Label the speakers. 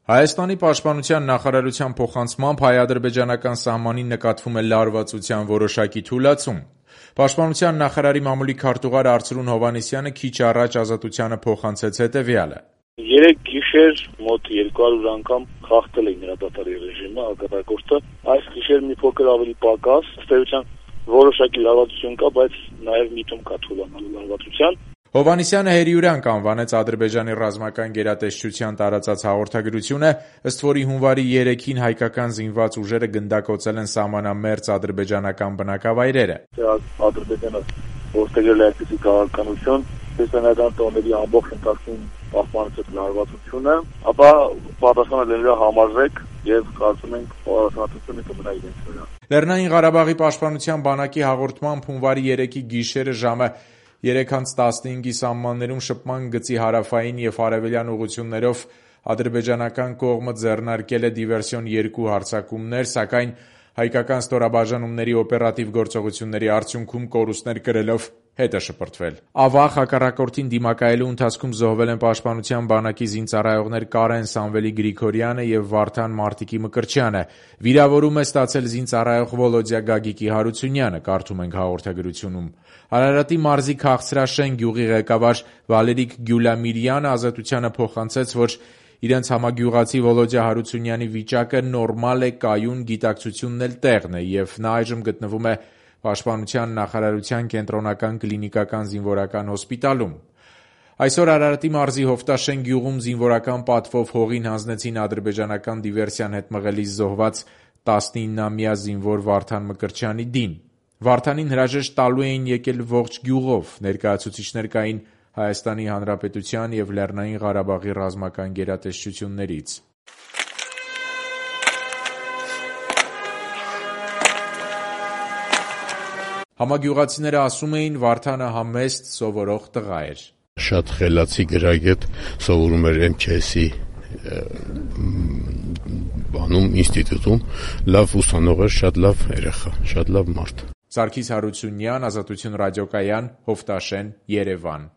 Speaker 1: Հայաստանի պաշտպանության նախարարության փոխանցմամբ հայ-ադրբեջանական սահմանին նկատվում է լարվածության որոշակի թուլացում։ Պաշտպանության նախարարի մամուլի քարտուղար Արծրուն Հովհաննիսյանը քիչ առաջ Ազատությանը փոխանցեց հետևյալը.
Speaker 2: Երեք գիշեր մոտ 200 անգամ խախտել էին հրադադարի ռեժիմը հակառակորդը, այս գիշեր մի փոքր ավելի պակաս, ըստ էության որոշակի լարվածություն կա, բայց նաև միտում կա թուլանալու լարվածության։
Speaker 1: Հովհաննիսյանը հերիուրանք անվանեց Ադրբեջանի ռազմական գերատեսչության տարածած հաղորդագրությունը, ըստ որի հունվարի 3-ին հայկական զինված ուժերը գնդակոծել են սահմանամերձ ադրբեջանական բնակավայրերը։
Speaker 2: Ադրբեջանը որդեգրել է այսպիսի քաղաքականություն, քրիստոնեական տոների ամբողջ ընթացքում պահպանեց լարվածությունը, ապա պատասխանը լինելու համարժեք եւ կարծում ենք պատասխանատվությունը կմնա իրենց վրա։
Speaker 1: Լեռնային Ղարաբաղի պաշտպանության բանակի հաղորդմամբ հունվարի 3-ի գիշերը ժամը 3:15-ի սահմաններում շփման գծի հարավային եւ արևելյան ուղղություններով ադրբեջանական կողմը ձեռնարկել է դիվերսիոն 2 հարձակումներ, սակայն հայկական ստորաբաժանումների օպերատիվ գործողությունների արդյունքում կորուստներ կրելով հետ է շպրտվել։ Ավաղ հակառակորդին դիմակայելու ընթացքում զոհվել են պաշտպանության բանակի զինծառայողներ Կարեն Սամվելի Գրիգորյանը եւ Վարդան Մարտիկի Մկրտչյանը։ Վիրավորում է ստացել զինծառայող Վոլոդյա Գագիկի Հարությունյանը, կարդում ենք հաղորդագրությունում։ Արարատի մարզի Քաղցրաշեն գյուղի ղեկավար Վալերիկ Գյուլամիրյանը Ազատությանը փոխանցեց, որ իրենց համագյուղացի Վոլոդյա Հարությունյանի վիճակը նորմալ է, կայուն, գիտակցությունն էլ տեղն է եւ նա այժմ գտնվում է Պաշտպանության նախարարության կենտրոնական կլինիկական զինվորական հոսպիտալում։ Այսօր Արարատի մարզի Հովտաշեն գյուղում զինվորական պատվով հողին հանձնեցին ադրբեջանական դիվերսիան հետ մղելիս զոհված 19-ամյա զինվոր Վարդան Մկրտչյանի դին։ Վարդանին հրաժեշտ տալու էին եկել ողջ գյուղով, ներկայացուցիչներ կային Հայաստանի Հանրապետության եւ Լեռնային Ղարաբաղի ռազմական գերատեսչություններից։ Համագյուղացիները ասում էին, Վարդանը համեստ սովորող տղա էր։
Speaker 3: Շատ խելացի գրագետ, սովորում էր MKS-ի ինստիտուտում, լավ ուսանող էր, շատ լավ երեխա, շատ լավ մարդ։
Speaker 1: Սարգիս Հարությունյան, Ազատություն ռադիոկայան, Հովտաշեն, Երևան։